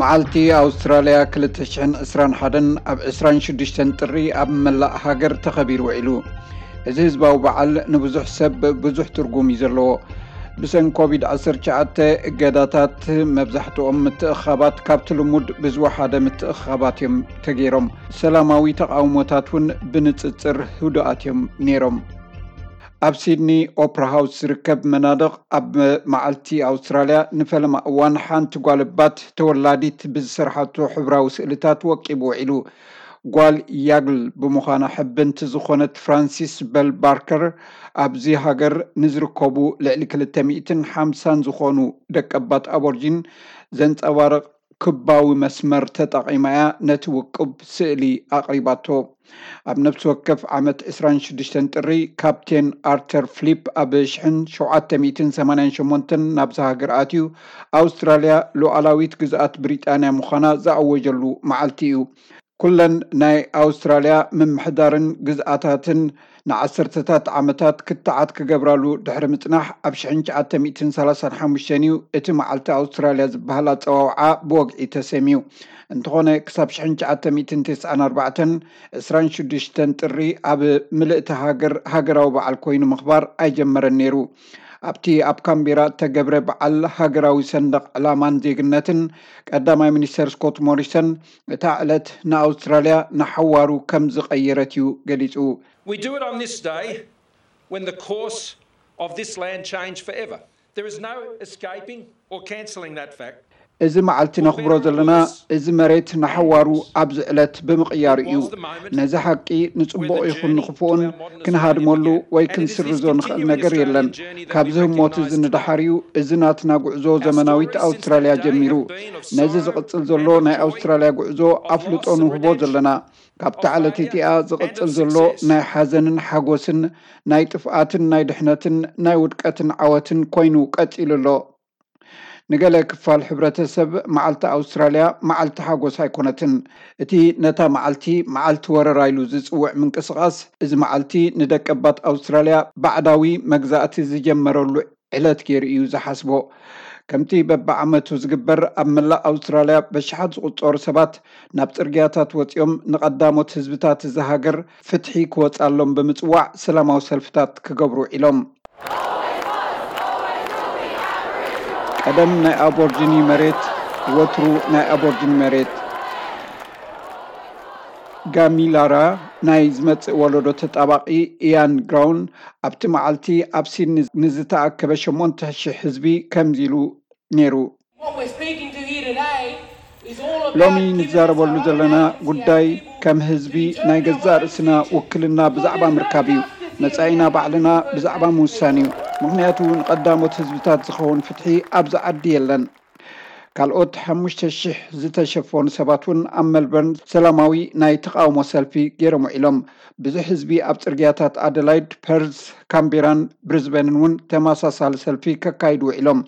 መዓልቲ ኣውስትራልያ ክልተ ሽሕን ዕስራን ሓደን ኣብ ዕስራን ሽዱሽተን ጥሪ ኣብ መላእ ሃገር ተኸቢሩ ውዒሉ። እዚ ህዝባዊ በዓል ንብዙሕ ሰብ ብዙሕ ትርጉም እዩ ዘለዎ። ብሰንኪ ኮቪድ ዓሰርተ ትሽዓተ እገዳታት፣ መብዛሕትኦም ምትእኽኻባት ካብቲ ልሙድ ብዝወሓደ ምትእኽኻባት እዮም ተገይሮም። ሰላማዊ ተቓውሞታት እውን ብንጽጽር ህዱኣት እዮም ነይሮም። ኣብ ሲድኒ ኦፕራ ሃውስ ዝርከብ መናድቕ፣ ኣብ መዓልቲ ኣውስትራልያ ንፈለማ እዋን ሓንቲ ጓል ባት ተወላዲት ብዝሰርሓቶ ሕብራዊ ስእልታት ወቂቡ ውዒሉ። ጓል ያግል ብምዃና ሕብንቲ ዝኾነት ፍራንሲስ በል ባርከር፣ ኣብዚ ሃገር ንዝርከቡ ልዕሊ ክልተ ሚእትን ሓምሳን ዝኾኑ ደቀባት ኣቦርጂን ዘንጸባርቕ ክባዊ መስመር ተጠቒማ እያ ነቲ ውቁብ ስእሊ ኣቕሪባቶ። ኣብ ነፍሲ ወከፍ ዓመት ዕስራን ሽዱሽተን ጥሪ፣ ካፕቴን ኣርተር ፍሊፕ ኣብ ሽሕን ሸውዓተ ሚእትን ሰማንያን ሸሞንተን ናብዛ ሃገር ኣትዩ፣ ኣውስትራልያ ሉዓላዊት ግዝኣት ብሪጣንያ ምዃና ዝኣወጀሉ መዓልቲ እዩ። ኩለን ናይ ኣውስትራልያ ምምሕዳርን ግዝኣታትን ንዓሰርተታት ዓመታት ክትዓት ክገብራሉ ድሕሪ ምጽናሕ፣ ኣብ ሽሕን ትሽዓተ ሚእትን ሰላሳን ሓሙሽተን እዩ እቲ መዓልቲ ኣውስትራልያ ዝበሃል ኣጸዋውዓ ብወግዒ ተሰምዩ። እንተኾነ፣ ክሳብ ሽሕን ትሽዓተ ሚእትን ተስዓን ኣርባዕተን፣ ዕስራን ሽዱሽተን ጥሪ ኣብ ምልእቲ ሃገር ሃገራዊ በዓል ኮይኑ ምኽባር ኣይጀመረን ነይሩ። ኣብቲ ኣብ ካምቤራ እተገብረ በዓል ሃገራዊ ሰንደቕ ዕላማን ዜግነትን፣ ቀዳማይ ሚኒስተር ስኮት ሞሪሰን እታ ዕለት ንኣውስትራልያ ንሓዋሩ ከም ዝቐየረት እዩ ገሊጹ። We do it on this day when the course of this land changed forever. There is no escaping or cancelling that fact. እዚ መዓልቲ ነኽብሮ ዘለና፣ እዚ መሬት ንሓዋሩ ኣብዚ ዕለት ብምቕያሩ እዩ። ነዚ ሓቂ፣ ንጽቡቕ ይኹን ንኽፉእን፣ ክንሃድመሉ ወይ ክንስርዞ ንኽእል ነገር የለን። ካብዚ ህሞት እዚ ንደሓር እዩ እዚ ናትና ጉዕዞ ዘመናዊት ኣውስትራልያ ጀሚሩ። ነዚ ዝቕጽል ዘሎ ናይ ኣውስትራልያ ጉዕዞ ኣፍልጦ ንህቦ ዘለና። ካብታ ዕለት እቲኣ ዝቕጽል ዘሎ ናይ ሓዘንን ሓጎስን፣ ናይ ጥፍኣትን ናይ ድሕነትን፣ ናይ ውድቀትን ዓወትን ኮይኑ ቀጺሉ ኣሎ። ንገለ ክፋል ሕብረተሰብ፣ መዓልቲ ኣውስትራልያ መዓልቲ ሓጎስ ኣይኮነትን። እቲ ነታ መዓልቲ መዓልቲ ወረራ ኢሉ ዝጽውዕ ምንቅስቓስ፣ እዚ መዓልቲ ንደቀባት ኣውስትራልያ ባዕዳዊ መግዛእቲ ዝጀመረሉ ዕለት ገይሩ እዩ ዝሓስቦ። ከምቲ በብዓመቱ ዝግበር፣ ኣብ መላእ ኣውስትራልያ በሽሓት ዝቑጸሩ ሰባት ናብ ጽርግያታት ወጺኦም፣ ንቐዳሞት ህዝብታት እዚ ሃገር ፍትሒ ክወጻሎም ብምጽዋዕ ሰላማዊ ሰልፍታት ክገብሩ ውዒሎም። ቀደም ናይ ኣቦርጂኒ መሬት፣ ወትሩ ናይ ኣቦርጂኒ መሬት። ጋሚላራ ናይ ዝመጽእ ወለዶ ተጣባቒ ኢያን ግራውን፣ ኣብቲ መዓልቲ ኣብ ሲድኒ ንዝተኣከበ ሸሞንተ ሽሕ ህዝቢ ከምዚ ኢሉ ነይሩ። What we're speaking to here today is all about ሎሚ giving us ንዛረበሉ ዘለና ጉዳይ ከም ህዝቢ ናይ ገዛእ ርእስና ውክልና ብዛዕባ ምርካብ እዩ። መጻኢና ባዕልና ብዛዕባ ምውሳን እዩ። ምኽንያቱ ንቐዳሞት ህዝብታት ዝኸውን ፍትሒ ኣብዚ ዓዲ የለን። ካልኦት ሓሙሽተ ሽሕ ዝተሸፈኑ ሰባት እውን ኣብ መልበርን ሰላማዊ ናይ ተቓውሞ ሰልፊ ገይሮም ውዒሎም። ብዙሕ ህዝቢ ኣብ ጽርግያታት ኣደላይድ፣ ፐርዝ፣ ካምቤራን ብሪዝበንን እውን ተመሳሳሊ ሰልፊ ከካይዱ ውዒሎም።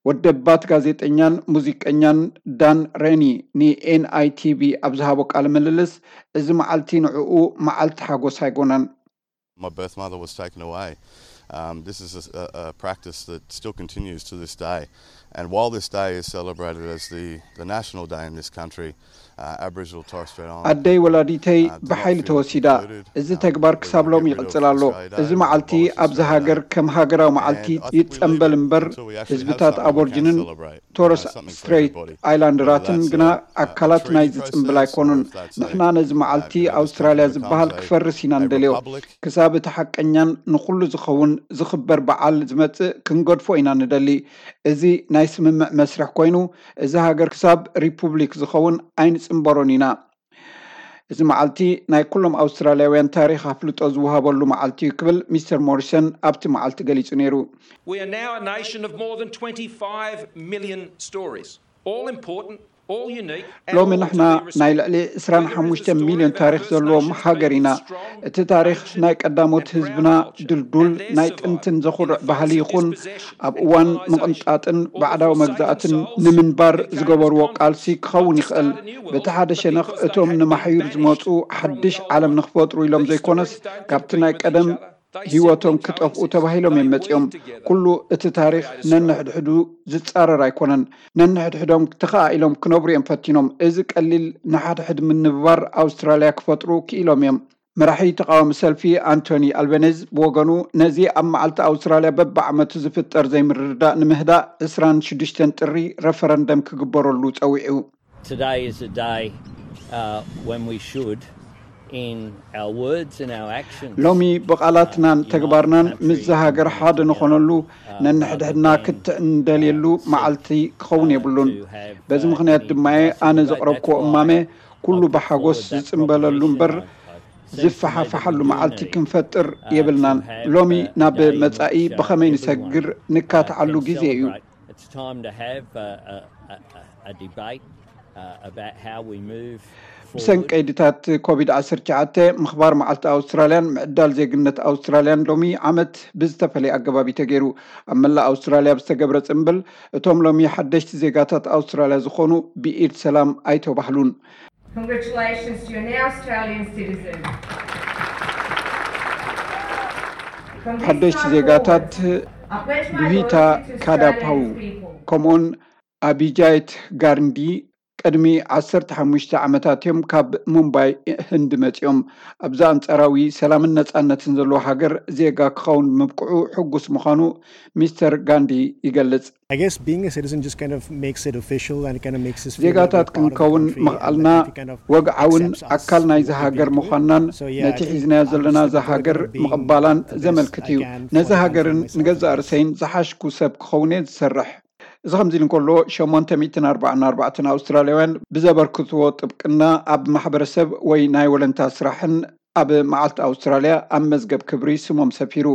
ወደባት ጋዜጠኛን ሙዚቀኛን ዳን ሬኒ ንኤንኣይቲቪ ኣብ ዝሃቦ ቃለ ምልልስ፣ እዚ መዓልቲ ንዕኡ መዓልቲ ሓጎስ ኣይኮነን። My birth mother was taken away. Um, this is a, a, a practice that still continues to this day. And while this day is celebrated as the, the national day in this country, uh, Aboriginal Torres Strait Islanders ኣደይ ወላዲተይ ብሓይሊ ተወሲዳ። እዚ ተግባር ክሳብ ሎሚ ይቕጽል ኣሎ። እዚ መዓልቲ ኣብዚ ሃገር ከም ሃገራዊ መዓልቲ ይጸንበል እምበር፣ ህዝብታት ኣቦርጅንን ቶረስ ስትሬት ኣይላንደራትን ግና ኣካላት ናይዚ ጽምብል ኣይኮኑን። ንሕና ነዚ መዓልቲ ኣውስትራልያ ዝበሃል ክፈርስ ኢና ንደልዮ። ክሳብ እቲ ሓቀኛን ንኹሉ ዝኸውን ዝኽበር በዓል ዝመጽእ ክንገድፎ ኢና ንደሊ። እዚ ናይ ስምምዕ መስርሕ ኮይኑ፣ እዚ ሃገር ክሳብ ሪፑብሊክ ዝኸውን ኣይንጽንበሮን ኢና። እዚ መዓልቲ ናይ ኩሎም ኣውስትራልያውያን ታሪኽ ኣፍልጦ ዝወሃበሉ መዓልቲ እዩ ክብል ሚስተር ሞሪሰን ኣብቲ መዓልቲ ገሊጹ ነይሩ። We are now a nation of more than twenty-five million stories, all important, all unique, and ሎሚ all ንሕና to be ናይ respected. ልዕሊ ዕስራን ሓሙሽተ ሚልዮን ታሪኽ ዘለዎም ሃገር ኢና። እቲ ታሪኽ ናይ ቀዳሞት ህዝብና ድልዱል ናይ ጥንትን ዘኹርዕ ባህሊ ይኹን፣ ኣብ እዋን ምቕንጣጥን ባዕዳዊ መግዛእትን ንምንባር ዝገበርዎ ቃልሲ ክኸውን ይኽእል። በቲ ሓደ ሸነኽ፣ እቶም ንማሕዩር ዝመጹ ሓድሽ ዓለም ንኽፈጥሩ ኢሎም ዘይኮነስ፣ ካብቲ ናይ ቀደም ህይወቶም ክጠፍኡ ተባሂሎም እዮም መፂኦም። ኩሉ እቲ ታሪኽ ነንሕድሕዱ ዝፃረር ኣይኮነን። ነንሕድሕዶም ተኸኣኢሎም ክነብሩ እዮም ፈቲኖም። እዚ ቀሊል ንሓድሕድ ምንብባር ኣውስትራልያ ክፈጥሩ ክኢሎም እዮም። መራሒ ተቃዋሚ ሰልፊ ኣንቶኒ ኣልበኔዝ ብወገኑ፣ ነዚ ኣብ መዓልቲ ኣውስትራልያ በብዓመቱ ዝፍጠር ዘይምርድዳእ ንምህዳእ ዕስራን ሽዱሽተን ጥሪ ረፈረንደም ክግበረሉ ጸዊዑ። Today is a day uh, when we should, in our words and our actions, ሎሚ ብቓላትናን ተግባርናን ምስዛ ሃገር ሓደ ንኾነሉ፣ ነንሕድሕድና ክትዕ እንደልየሉ መዓልቲ ክኸውን የብሉን። በዚ ምኽንያት ድማ ኣነ ዘቕረብክዎ እማመ፣ ኩሉ ብሓጎስ ዝጽንበለሉ እምበር ዝፈሓፈሓሉ መዓልቲ ክንፈጥር የብልናን። ሎሚ ናብ መጻኢ ብኸመይ ንሰግር ንካትዓሉ ግዜ እዩ። It's time to have a, a, a, a debate uh, about how we move ብሰንቀይድታት ኮቪድ ዓሰርተ ትሽዓተ ምኽባር መዓልቲ ኣውስትራልያን ምዕዳል ዜግነት ኣውስትራልያን ሎሚ ዓመት ብዝተፈለየ ኣገባብ እዩ ተገይሩ። ኣብ መላእ ኣውስትራልያ ብዝተገብረ ጽምብል፣ እቶም ሎሚ ሓደሽቲ ዜጋታት ኣውስትራልያ ዝኾኑ ብኢድ ሰላም ኣይተባህሉን። Congratulations to your now Australian citizen. ሓደሽቲ ዜጋታት ዱሂታ ካዳፓው፣ ከምኡውን ኣቢጃይት ጋርንዲ ቅድሚ ዓሰርተ ሓሙሽተ ዓመታት እዮም ካብ ሙምባይ ህንዲ መፂኦም። ኣብዛ ኣንፃራዊ ሰላምን ነፃነትን ዘለዎ ሃገር ዜጋ ክኸውን ምብቅዑ ሕጉስ ምዃኑ ሚስተር ጋንዲ ይገልጽ። I guess being a citizen just kind of makes it official and kind of makes us feel ዜጋታት ክንከውን ምኽኣልና ወግዓውን ኣካል ናይዚ ሃገር ምዃንናን ነቲ ሒዝናዮ ዘለና እዛ ሃገር ምቕባላን ዘመልክት እዩ። ነዚ ሃገርን ንገዛእ ርእሰይን ዝሓሽኩ ሰብ ክኸውን እየ ዝሰርሕ። እዚ ከምዚ ኢሉ እንከሎ፣ ሸሞንተ ሚእትን ኣርባዓን ኣርባዕተን ኣውስትራልያውያን ብዘበርክትዎ ጥብቅና ኣብ ማሕበረሰብ ወይ ናይ ወለንታ ስራሕን ኣብ መዓልቲ ኣውስትራልያ ኣብ መዝገብ ክብሪ ስሞም ሰፊሩ።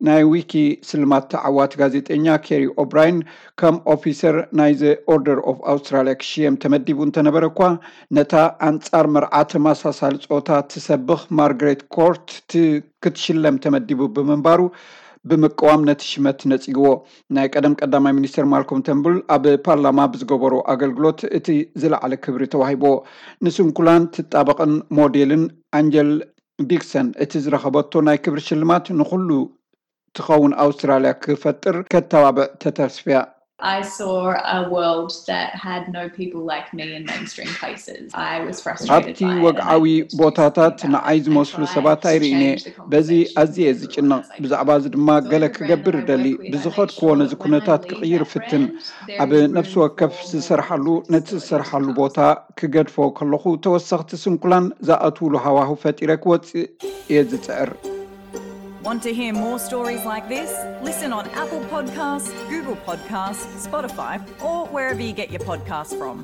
ናይ ዊኪ ስልማት ተዓዋቲ ጋዜጠኛ ኬሪ ኦብራይን ከም ኦፊሰር ናይ ዘ ኦርደር ኦፍ ኣውስትራልያ ክሽየም ተመዲቡ እንተነበረ እኳ፣ ነታ ኣንጻር መርዓ ተመሳሳሊ ጾታ ትሰብኽ ማርግሬት ኮርት ክትሽለም ተመዲቡ ብምንባሩ ብምቅዋም ነቲ ሽመት ነጺግዎ። ናይ ቀደም ቀዳማይ ሚኒስትር ማልኮም ተንቡል ኣብ ፓርላማ ብዝገበሮ ኣገልግሎት እቲ ዝለዓለ ክብሪ ተዋሂብዎ። ንስንኩላን ትጣበቕን ሞዴልን ኣንጀል ዲክሰን፣ እቲ ዝረኸበቶ ናይ ክብሪ ሽልማት ንኹሉ ትኸውን ኣውስትራልያ ክፈጥር ከተባብዕ ተተስፍያ። I saw a world that had no people like me in mainstream places. I was frustrated. ኣብቲ ወግዓዊ ቦታታት ንዓይ ዝመስሉ ሰባት ኣይርእነ። በዚ ኣዝየ ዝጭነቕ፣ ብዛዕባ እዚ ድማ ገለ ክገብር እደሊ። ብዝኸድክዎ ነዚ ኩነታት ክቕይር እፍትን። ኣብ ነፍሲ ወከፍ ዝሰርሓሉ፣ ነቲ ዝሰርሓሉ ቦታ ክገድፎ ከለኹ፣ ተወሰኽቲ ስንኩላን ዝኣትውሉ ሃዋህው ፈጢረ ክወጽእ እየ ዝጽዕር። Want to hear more stories like this? Listen on Apple Podcasts, Google Podcasts, Spotify, or wherever you get your podcasts from.